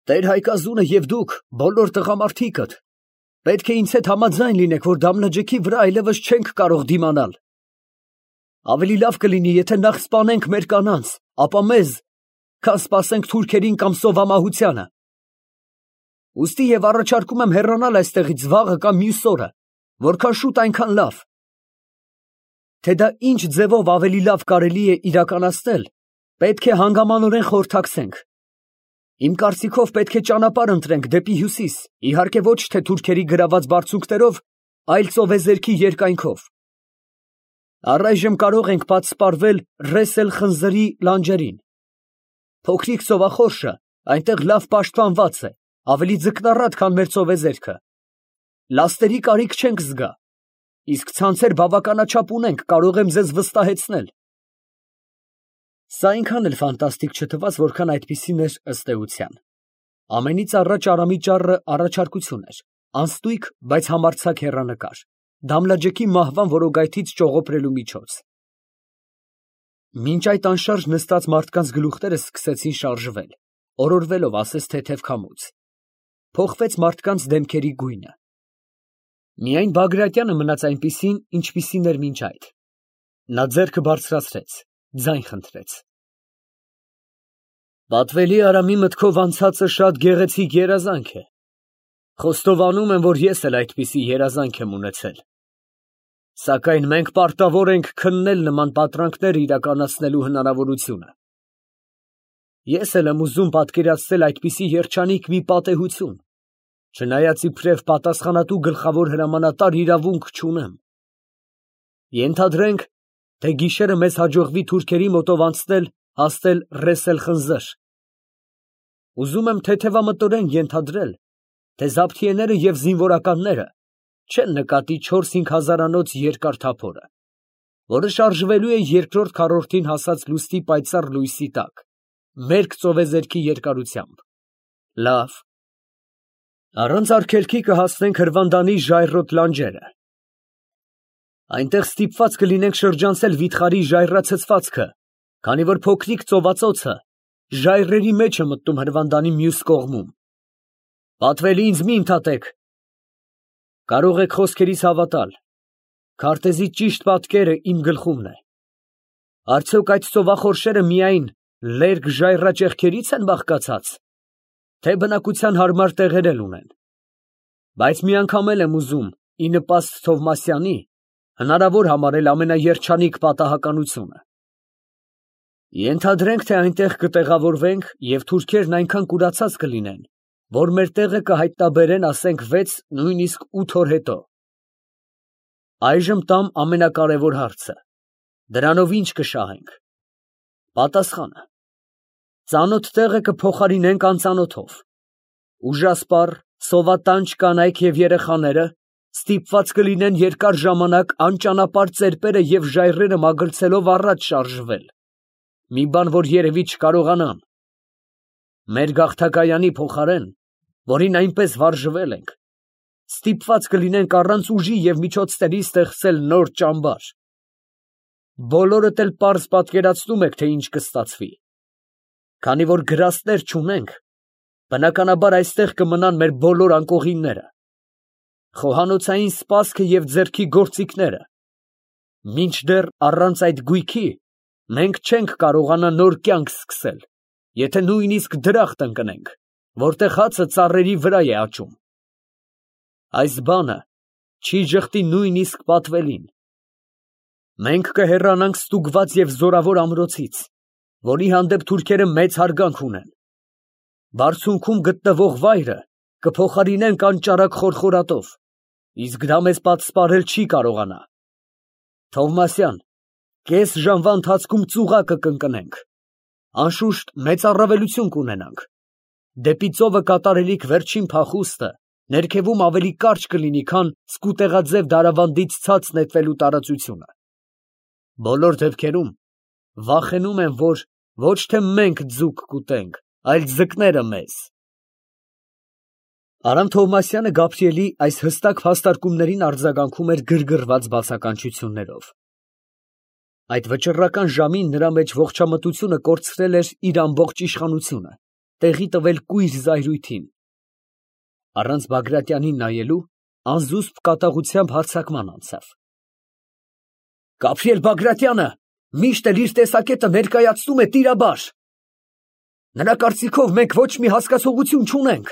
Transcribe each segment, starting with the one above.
Տեր Հայկազունը և դուք, բոլոր տղամարդիկդ, պետք է ինձ հետ համաձայն լինեք, որ Դամլաջեքի վրա այլևս չենք կարող դիմանալ։ Ավելի լավ կլինի, եթե նախ սպանենք մեր կանանց, ապա մեզ, քան սպասենք թուրքերին կամ սովամահությանը։ Ուստի և առաջարկում եմ հեռանալ այստեղից վաղը կամ մյուս օրը, որքան շուտ այնքան լավ։ Թե դա ինչ ձևով ավելի լավ կարելի է իրականացնել, պետք է հանգամանորեն խորհրդակցենք։ Իմ կարծիքով պետք է ճանապարհ ընտրենք դեպի հյուսիս, իհարկե ոչ թե թուրքերի գրաված բարձունքներով, այլ ծովեզերքի երկայնքով։ Առայժմ կարող ենք պատսպարվել Ռես էլ Խնձրի լանջերին։ Փոքրիկ ծովախորշը այնտեղ լավ պաշտպանված է, ավելի ձկնառատ, քան մեր ծովեզերքը։ Լաստերի կարիք չենք զգա, իսկ ցանցեր բավականաչափ ունենք, կարող եմ ձեզ վստահեցնել։ Սա այնքան էլ ֆանտաստիկ չթվաց, որքան այդպիսին էր ըստ էության։ Ամենից առաջ Արամի ճառը առաջարկություն էր, անստույք, բայց համարձակ հեռանկար, Դամլաջեքի մահվան որոգայթից ճողոպրելու միջոց։ Մինչ այդ անշարժ նստած մարդկանց գլուխները սկսեցին շարժվել, օրորվելով ասես թեթև քամուց։ Փոխվեց մարդկանց դեմքերի գույնը։ Միայն Բագրատյանը մնաց այնպիսին, ինչպիսին էր մինչ այդ։ Նա ձեռքը բարձրացրեց, ձայն խնդրեց. Պատվելի Արամի մտքով անցածը շատ գեղեցիկ երազանք է։ Խոստովանում եմ, որ ես էլ այդպիսի երազանք եմ ունեցել։ Սակայն մենք պարտավոր ենք քննել նման պատրանքներ իրականացնելու հնարավորությունը։ Ես էլ եմ ուզում պատկերացնել այդպիսի երջանիկ մի պատեհություն, չնայած իբրև պատասխանատու գլխավոր հրամանատար իրավունք չունեմ։ Ենթադրենք, թե գիշերը մեզ հաջողվի թուրքերի մոտով անցնել, հասնել Ռես էլ Խնձր։ Ուզում եմ թեթևամտորեն ենթադրել, թե զաբթիեները և զինվորականները չեն նկատի 4-5 հազարանոց երկար թափորը, որը շարժվելու է երկրորդ քառորդին հասած լուսնի պայծառ լույսի տակ, մերկ ծովեզերքի երկարությամբ։ Լավ։ Առանց արգելքի կհասնենք Հրվանդանի ժայռոտ լանջերը։ Այնտեղ ստիպված կլինենք շրջանցել վիթխարի ժայռացցվածքը, քանի որ փոքրիկ ծովածոցը ժայռերի մեջ է մտնում Հրվանդանի մյուս կողմում։ Պատվելի ինձ մի ընդհատեք։ Կարող եք խոսքերիս հավատալ։ Քարտեզի ճիշտ պատկերը իմ գլխումն է։ Արդյոք այդ ծովախորշերը միայն լերկ ժայռաճեղքերից են բաղկացած, թե բնակության հարմար տեղեր էլ ունեն։ Բայց միանգամ էլ եմ ուզում, ի նպաստ Թովմասյանի, հնարավոր համարել ամենաերջանիկ պատահականությունը։ Ենթադրենք, թե այնտեղ կտեղավորվենք և թուրքերն այնքան կուրացած կլինեն, որ մեր տեղը կհայտնաբերեն, ասենք 6, նույնիսկ 8 օր հետո։ Այժմ տամ ամենակարևոր հարցը. դրանով ինչ կշահենք։ Պատասխանը. ծանոթ տեղը կփոխարինենք անծանոթով։ Ուժասպառ, սովատանչ կանայք և երեխաները ստիպված կլինեն երկար ժամանակ անճանապարհ ծերպերը և ժայռերը մագլցելով առաջ շարժվել, մի բան, որ երևի չկարողանան։ Մեր գաղթակայանի փոխարեն, որին այնպես վարժվել ենք, ստիպված կլինենք առանց ուժի և միջոցների ստեղծել նոր ճամբար։ Բոլորդ էլ պարզ պատկերացնում եք, թե ինչ կստացվի։ Քանի որ գրաստներ չունենք, բնականաբար այստեղ կմնան մեր բոլոր անկողինները, խոհանոցային սպասքը և ձեռքի գործիքները։ Մինչդեռ առանց այդ գույքի մենք չենք կարողանա նոր կյանք սկսել, եթե նույնիսկ դրախտ ընկնենք, որտեղ հացը ծառերի վրա է աճում։ Այս բանը չի ժխտի նույնիսկ պատվելին։ Մենք կհեռանանք ստուգված և զորավոր ամրոցից, որի հանդեպ թուրքերը մեծ հարգանք ունեն։ Բարձունքում գտնվող վայրը կփոխարինենք անճարակ խորխորատով, իսկ դա մեզ պատսպարել չի կարողանա։ Թովմասյան, կես ժամվա ընթացքում ծուղակը կընկնենք, անշուշտ մեծ առավելություն կունենանք։ Դեպի ծովը կատարելիք վերջին փախուստը ներքևում ավելի կարճ կլինի, քան սկուտեղաձև դարավանդից ցած նետվելու տարածությունը։ Բոլոր դեպքերում վախենում եմ, որ ոչ թե մենք ձուկ կուտենք, այլ ձկները մեզ։ Արամ Թովմասյանը Գաբրիելի այս հստակ փաստարկումներին արձագանքում էր գրգռված բացականչություններով։ Այդ վճռական ժամին նրա մեջ ողջամտությունը կորցրել էր իր ամբողջ իշխանությունը, տեղի տվել կույր զայրույթին։ Առանց Բագրատյանին նայելու, անզուսպ կատաղությամբ հարձակման անցավ։ Գաբրիել Բագրատյանը միշտ էլ իր տեսակետը ներկայացնում է տիրաբար։ Նրա կարծիքով մենք ոչ մի հասկացողություն չունենք։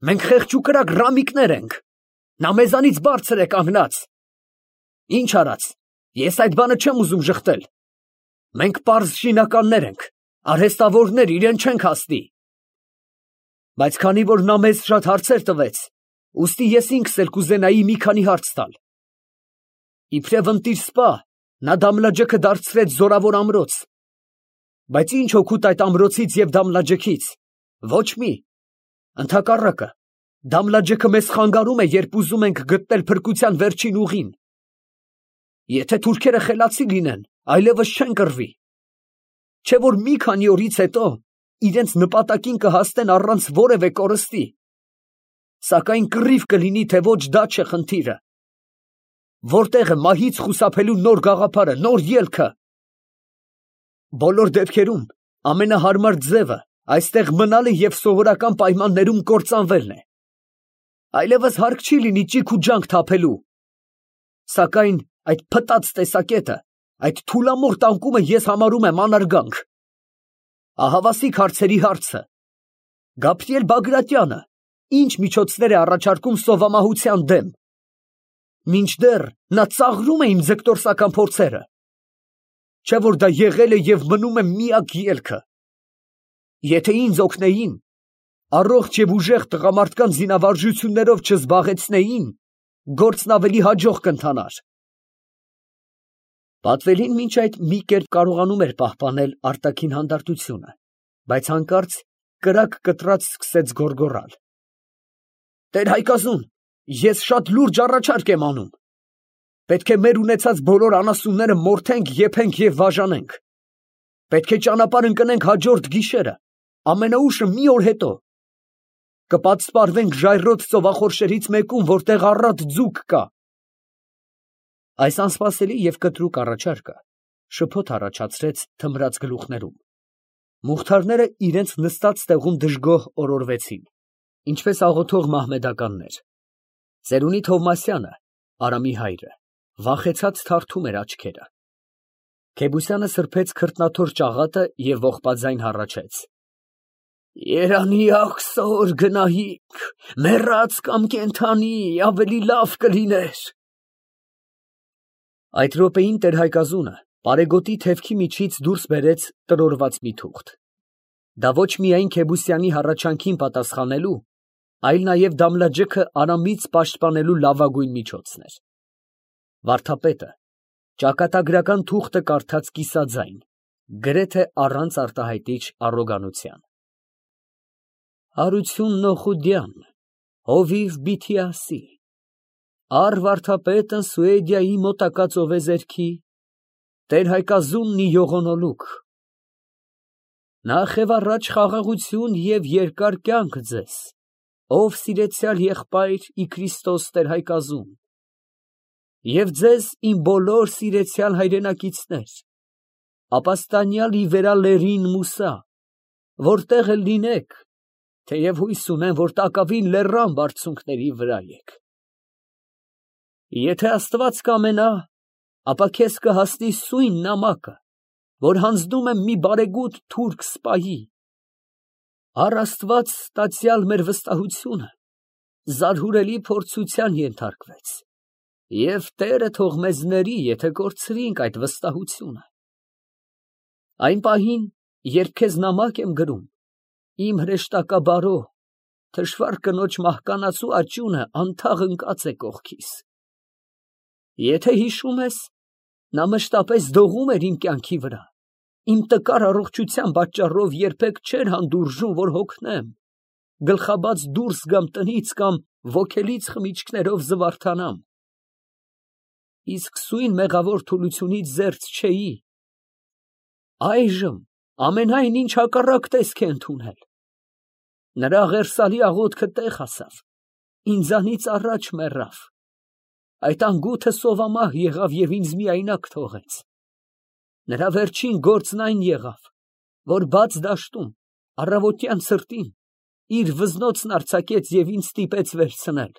Մենք խեղճ ու կրակ ռամիկներ ենք։ Նա մեզանից բարձր է կանգնած։ Ինչ արած, ես այդ բանը չեմ ուզում ժխտել։ Մենք պարզ շինականներ ենք, արհեստավորներ, իրեն չենք հասնի։ Բայց քանի որ նա մեզ շատ հարցեր տվեց, ուստի ես ինքս էլ կուզենայի մի քանի հարց տալ։ Իբրև ընտիր սպա, նա Դամլաջեքը դարձրեց զորավոր ամրոց։ Բայց ինչ օգուտ այդ ամրոցից և Դամլաջեքից։ Ոչ մի։ Ընդհակառակը, Դամլաջեքը մեզ խանգարում է, երբ ուզում ենք գտնել փրկության վերջին ուղին։ Եթե թուրքերը խելացի լինեն, այլևս չեն կռվի։ Չէ որ մի քանի օրից հետո իրենց նպատակին կհասնեն առանց որևէ կորստի։ Սակայն կռիվ կլինի, թե ոչ, դա չէ խնդիրը։ Որտեղ է մահից խուսափելու նոր գաղափարը, նոր ելքը։ Բոլոր դեպքերում ամենահարմար ձևը այստեղ մնալը և սովորական պայմաններում կործանվելն է։ Այլևս հարկ չի լինի ճիգ ու ջանք թափելու։ Սակայն այդ փտած տեսակետը, այդ թուլամորթ անկումը ես համարում եմ անարգանք։ Ահավասիկ հարցերի հարցը. Գաբրիել Բագրատյանը ինչ միջոցներ է առաջարկում սովամահության դեմ։ Մինչդեռ նա ծաղրում է իմ ձգտորսական փորձերը։ Չէ որ դա եղել է և մնում է միակ ելքը։ Եթե ինձ օգնեին, առողջ և ուժեղ տղամարդկանց զինավարժություններով չզբաղեցնեին, գործն ավելի հաջող կընթանար։ Պատվելին մինչ այդ մի կերպ կարողանում էր պահպանել արտաքին հանդարտությունը, բայց հանկարծ կրակ կտրած սկսեց գոռգոռալ։ Տեր Հայկազուն, ես շատ լուրջ առաջարկ եմ անում։ Պետք է մեր ունեցած բոլոր անասունները մորթենք, եփենք և բաժանենք։ Պետք է ճանապարհ ընկնենք հաջորդ գիշերը, ամենաուշը մի օր հետո։ Կպատսպարվենք ժայռոտ ծովախորշերից մեկում, որտեղ առատ ձուկ կա։ Այս անսպասելի և կտրուկ առաջարկը շփոթ առաջացրեց թմրած գլուխներում։ Մուղթարները իրենց նստած տեղում դժգոհ օրորվեցին, ինչպես աղոթող մահմեդականներ։ Ծերունի Թովմասյանը, Արամի հայրը, վախեցած թարթում էր աչքերը։ Քեբուսյանը սրբեց քրտնաթոր ճաղատը և ողբաձայն հառաչեց. Երանի ախսոր գնայինք, մեռած կամ կենդանի, ավելի լավ կլիներ։ Այդ րոպեին տեր-Հայկազունը պարեգոտի թևքի միջից դուրս բերեց տրորված մի թուղթ։ Դա ոչ միայն Քեբուսյանի հառաչանքին պատասխանելու, այլ նաև Դամլաջեքը Արամից պաշտպանելու լավագույն միջոցն էր։ Վարդապետը ճակատագրական թուղթը կարդաց կիսաձայն, գրեթե առանց արտահայտիչ առոգանության։ Հարություն Նոխուդյան, հովիվ Բիթիասի, առ վարդապետն Սուեդիայի մոտակա ծովեզերքի, տեր Հայկազուննի յողոնոլուկ։ Նախ և առաջ խաղաղություն և երկար կյանք ձեզ, ով սիրեցյալ եղբայր ի Քրիստոս տեր Հայկազուն, և ձեզ իմ բոլոր սիրեցյալ հայրենակիցներ, ապաստանյալ ի վերալերին Մուսա, որտեղ էլ լինեք, թեև հույս ունեմ, որ տակավին լեռան բարձունքների վրա եք։ Եթե Աստված կամենա, ապա քեզ կհասնի սույն նամակը, որ հանձնում եմ մի բարեգութ թուրք սպայի։ Առ Աստված ստացյալ մեր վստահությունը զարհուրելի փորձության ենթարկվեց, և Տերը թող մեզ ների, եթե կորցրինք այդ վստահությունը։ Այն պահին, երբ քեզ նամակ եմ գրում, իմ հրեշտակաբարո, թշվառ կնոջ մահկանացու աճյունը անթաղ ընկած է կողքիս։ Եթե հիշում ես, նա մշտապես դողում էր իմ կյանքի վրա, իմ տկար առողջության պատճառով երբեք չէր հանդուրժում, որ հոգնեմ, գլխաբաց դուրս գամ տնից կամ ոգելից խմիչքներով զվարթանամ։ Իսկ սույն մեղավոր թուլությունից զերծ չէի։ Այժմ ամենայն ինչ հակառակ տեսք է ընդունել։ Նրա ղերսալի աղոթքը տեղ հասավ, ինձանից առաջ մեռավ։ Այդ անգութը սովամահ եղավ և ինձ միայնակ թողեց։ Նրա վերջին գործն այն եղավ, որ բաց դաշտում առավոտյան ցրտին իր վզնոցն արձակեց և ինձ ստիպեց վերցնել։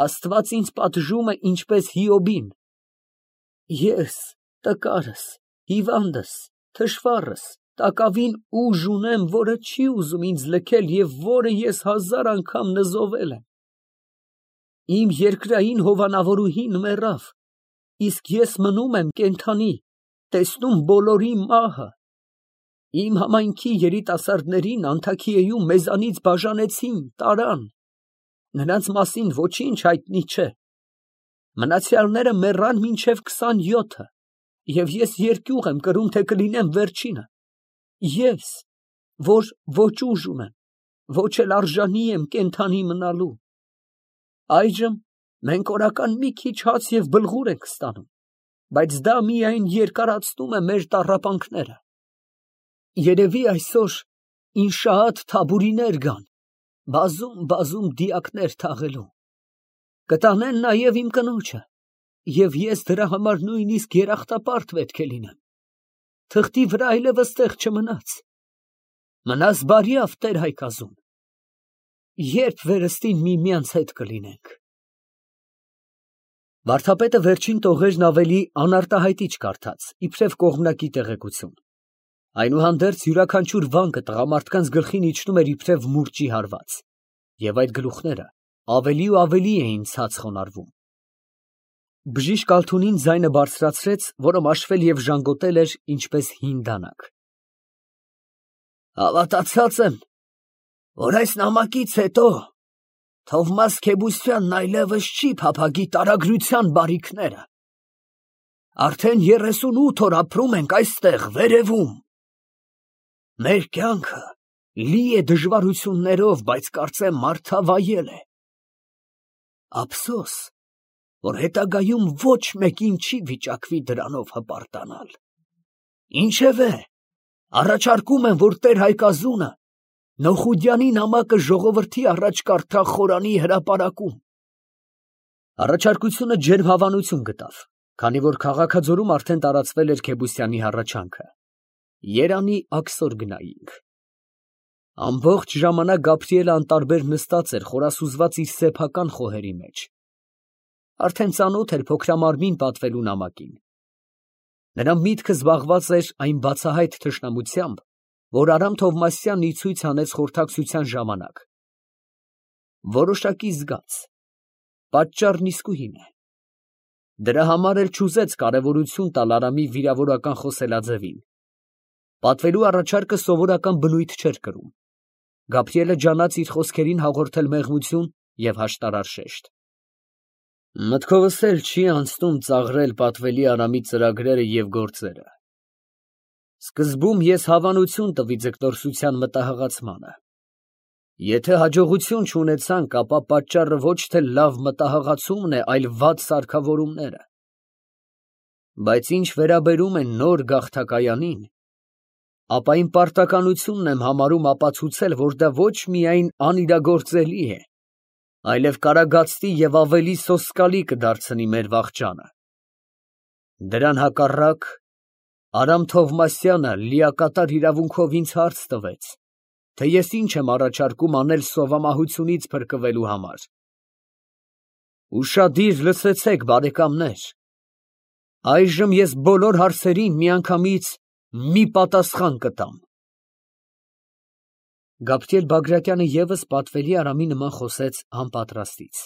Աստված ինձ պատժում է ինչպես Հիոբին. ես տկարս, հիվանդս, թշվառս, տակավին ուժ ունեմ, որը չի ուզում ինձ լքել և որը ես 1000 անգամ նզովել եմ։ Իմ երկրային հովանավորուհին մեռավ, իսկ ես մնում եմ կենդանի, տեսնում բոլորի մահը։ Իմ համայնքի երիտասարդներին Անթաքիեում մեզանից բաժանեցին, տարան, նրանց մասին ոչինչ հայտնի չէ։ Մնացյալները մեռան մինչև 27-ը, և ես երկյուղ եմ կրում, թե կլինեմ վերջինը, ես, որ ոչ ուժ ունեմ, ոչ էլ արժանի եմ կենդանի մնալու։ Այժմ մենք օրական մի քիչ հաց և բլղուր ենք ստանում, բայց դա միայն երկարացնում է մեր տառապանքները։ Երևի այսօր ինշաատ թաբուրիներ գան, բազում դիակներ թաղելու։ Կտանեն նաև իմ կնոջը, և ես դրա համար նույնիսկ երախտապարտ պետք է լինեմ։ Թղթի վրա այլևս տեղ չմնաց։ Մնաս բարյավ, Տեր Հայկազուն։ Երբ վերստին միմյանց հետ կլինենք։ Վարդապետը վերջին տողերն ավելի անարտահայտիչ կարդաց, իբրև կողմնակի տեղեկություն։ Այնուհանդերձ յուրաքանչյուր վանկը տղամարդկանց գլխին իջնում էր իբրև մուրճի հարված, և այդ գլուխները ավելի ու ավելի էին ցած խոնարհվում։ Բժիշկ Ալթունին ձայնը բարձրացրեց, որը մաշվել և ժանգոտել էր ինչպես հին դանակ։ Հավատացած եմ, որ այս նամակից հետո Թովմաս Քեբուսյանն այլևս չի փափագի տարագրության բարիքները։ Արդեն 38 օր ապրում ենք այստեղ, վերևում։ Մեր կյանքը լի է դժվարություններով, բայց կարծեմ մարդավայել է։ Ափսոս, որ հետագայում ոչ մեկին չի վիճակվի դրանով հպարտանալ։ Ինչևէ, առաջարկում եմ, որ Տեր Հայկազունը Նոխուդյանի նամակը ժողովրդի առաջ կարդա խորանի հրապարակում։ Առաջարկությունը ջերմ հավանություն գտավ, քանի որ Քաղաքաձորում արդեն տարածվել էր Քեբուսյանի հառաչանքը։ Երանի աքսոր գնայինք։ Ամբողջ ժամանակ Գաբրիելը անտարբեր նստած էր խորասուզված իր սեփական խոհերի մեջ։ Արդեն ծանոթ էր փոքրամարմին պատվելու նամակին։ Նրա միտքը զբաղված էր այն բացահայտ թշնամությամբ, որ Արամ Թովմասյանն ի ցույց հանեց խորհրդակցության ժամանակ։ Որոշակի զգաց, պատճառն իսկույն է։ Դրա համար էլ չուզեց կարևորություն տալ Արամի վիրավորական խոսելաձևին։ Պատվելու առաջարկը սովորական բնույթ չէր կրում։ Գաբրիելը ջանաց իր խոսքերին հաղորդել մեղմություն և հաշտարար շեշտ։ Մտքովս էլ չի անցնում ծաղրել պատվելի Արամի ծրագրերը և գործերը։ Սկզբում ես հավանություն տվի ձգտորսության մտահղացմանը։ Եթե հաջողություն չունեցանք, ապա պատճառը ոչ թե լավ մտահղացումն է, այլ վատ սարքավորումները։ Բայց ինչ վերաբերում է նոր գաղթակայանին, ապա իմ պարտականությունն եմ համարում ապացուցել, որ դա ոչ միայն անիրագործելի է, այլև կարագացնի և ավելի սոսկալի կդարձնի մեր վախճանը։ Դրան հակառակ, Արամ Թովմասյանը լիակատար իրավունքով ինձ հարց տվեց, թե ես ինչ եմ առաջարկում անել սովամահությունից փրկվելու համար։ Ուշադիր լսեցեք, բարեկամներ, այժմ ես բոլոր հարցերին միանգամից մի պատասխան կտամ։ Գաբրիել Բագրատյանը ևս պատվելի Արամի նման խոսեց անպատրաստից։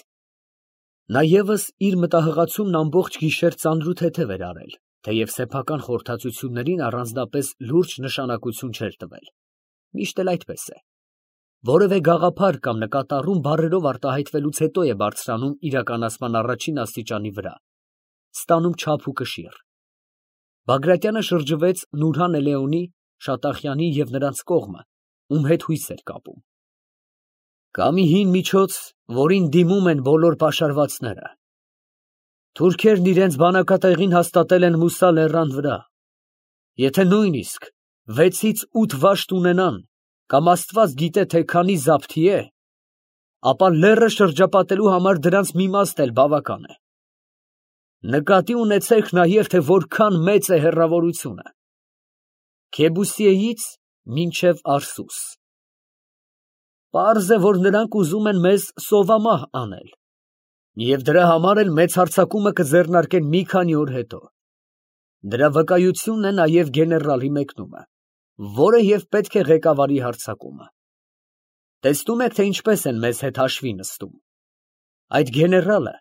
Նա ևս իր մտահղացումն ամբողջ գիշեր ծանրութեթև էր արել, թեև սեփական խորհրդածություններին առանձնապես լուրջ նշանակություն չէր տվել։ Միշտ էլ այդպես է։ Որևէ գաղափար կամ նկատառում բառերով արտահայտվելուց հետո է բարձրանում իրականացման առաջին աստիճանի վրա, ստանում չափ ու կշիռ։ Բագրատյանը շրջվեց Նուրհան Էլեոնի, Շատախյանի և նրանց կողմը, ում հետ հույս էր կապում։ Կա մի հին միջոց, որին դիմում են բոլոր պաշարվածները։ Թուրքերն իրենց բանակատեղին հաստատել են Մուսա լեռան վրա։ Եթե նույնիսկ 6-ից 8 վաշտ ունենան, կամ Աստված գիտե, թե քանի զաբթի է, ապա լեռը շրջապատելու համար դրանց մի մաստ էլ բավական է։ Նկատի ունեցեք նաև, թե որքան մեծ է հեռավորությունը։ Քեբուսիեից մինչև Արսուս։ Պարզ է, որ նրանք ուզում են մեզ սովամահ անել, և դրա համար էլ մեծ հարձակումը կձեռնարկեն մի քանի օր հետո։ Դրա վկայությունն է նաև գեներալի մեկնումը, որը և պետք է ղեկավարի հարձակումը։ Տեսնում եք, թե ինչպես են մեզ հետ հաշվի նստում։ Այդ գեներալը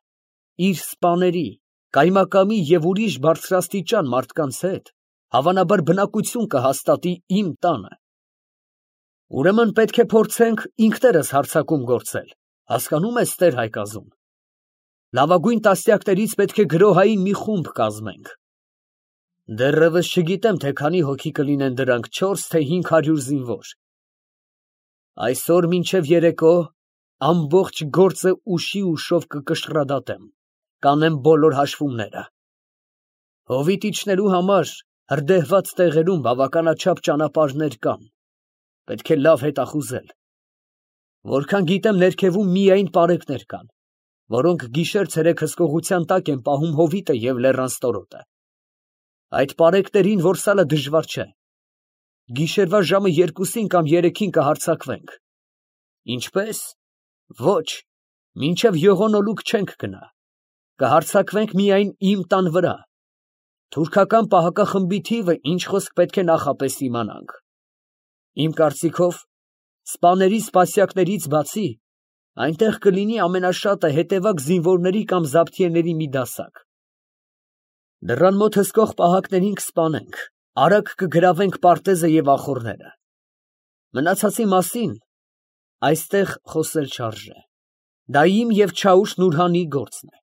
իր սպաների, կայմակամի և ուրիշ բարձրաստիճան մարդկանց հետ հավանաբար բնակություն կհաստատի իմ տանը։ Ուրեմն պետք է փորձենք ինքներս հարձակում գործել, հասկանում ես, Տեր Հայկազուն։ Լավագույն տասնյակներից պետք է գրոհային մի խումբ կազմենք։ Դեռևս չգիտեմ, թե քանի հոգի կլինեն դրանք, 4 թե 500 զինվոր։ Այսօր մինչև երեկո ամբողջ գործը ուշի ուշով կկշռադատեմ, կանեմ բոլոր հաշվումները։ Հովիտ իջնելու համար հրդեհված տեղերում բավականաչափ ճանապարհներ կան, պետք է լավ հետախուզել։ Որքան գիտեմ, ներքևում միայն պարեկներ կան, որոնք գիշեր-ցերեկ հսկողության տակ են պահում հովիտը և լեռան ստորոտը։ Այդ պարեկներին որսալը դժվար չէ։ Գիշերվա ժամը 2-ին կամ 3-ին կհարձակվենք։ Ինչպես։ Ոչ, մինչև յողոնոլուք չենք գնա։ Կհարձակվենք միայն իմ տան վրա։ Թուրքական պահակախմբի թիվը ինչ խոսք պետք է նախապես իմանանք։ Իմ կարծիքով, սպաների սպասյակներից բացի, այնտեղ կլինի ամենաշատը հետևակ զինվորների կամ զաբթիեների մի դասակ։ Դռան մոտ հսկող պահակներին կսպանենք, արագ կգրավենք պարտեզը և ախոռները։ Մնացածի մասին այստեղ խոսել չարժե։ Դա իմ և Չաուշ Նուրհանի գործն է։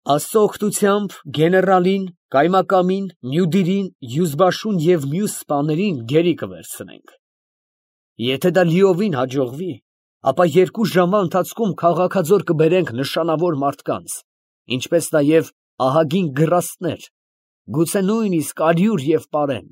Աստծո օգնությամբ գեներալին, կայմակամին, Մյուդիրին, Յուզբաշուն և մյուս սպաներին գերի կվերցնենք։ Եթե դա լիովին հաջողվի, ապա 2 ժամվա ընթացքում քաղաքաձոր կբերենք նշանավոր մարդկանց, ինչպես նաև ահագին գրաստներ, գուցե նույնիսկ 100 և պարեն։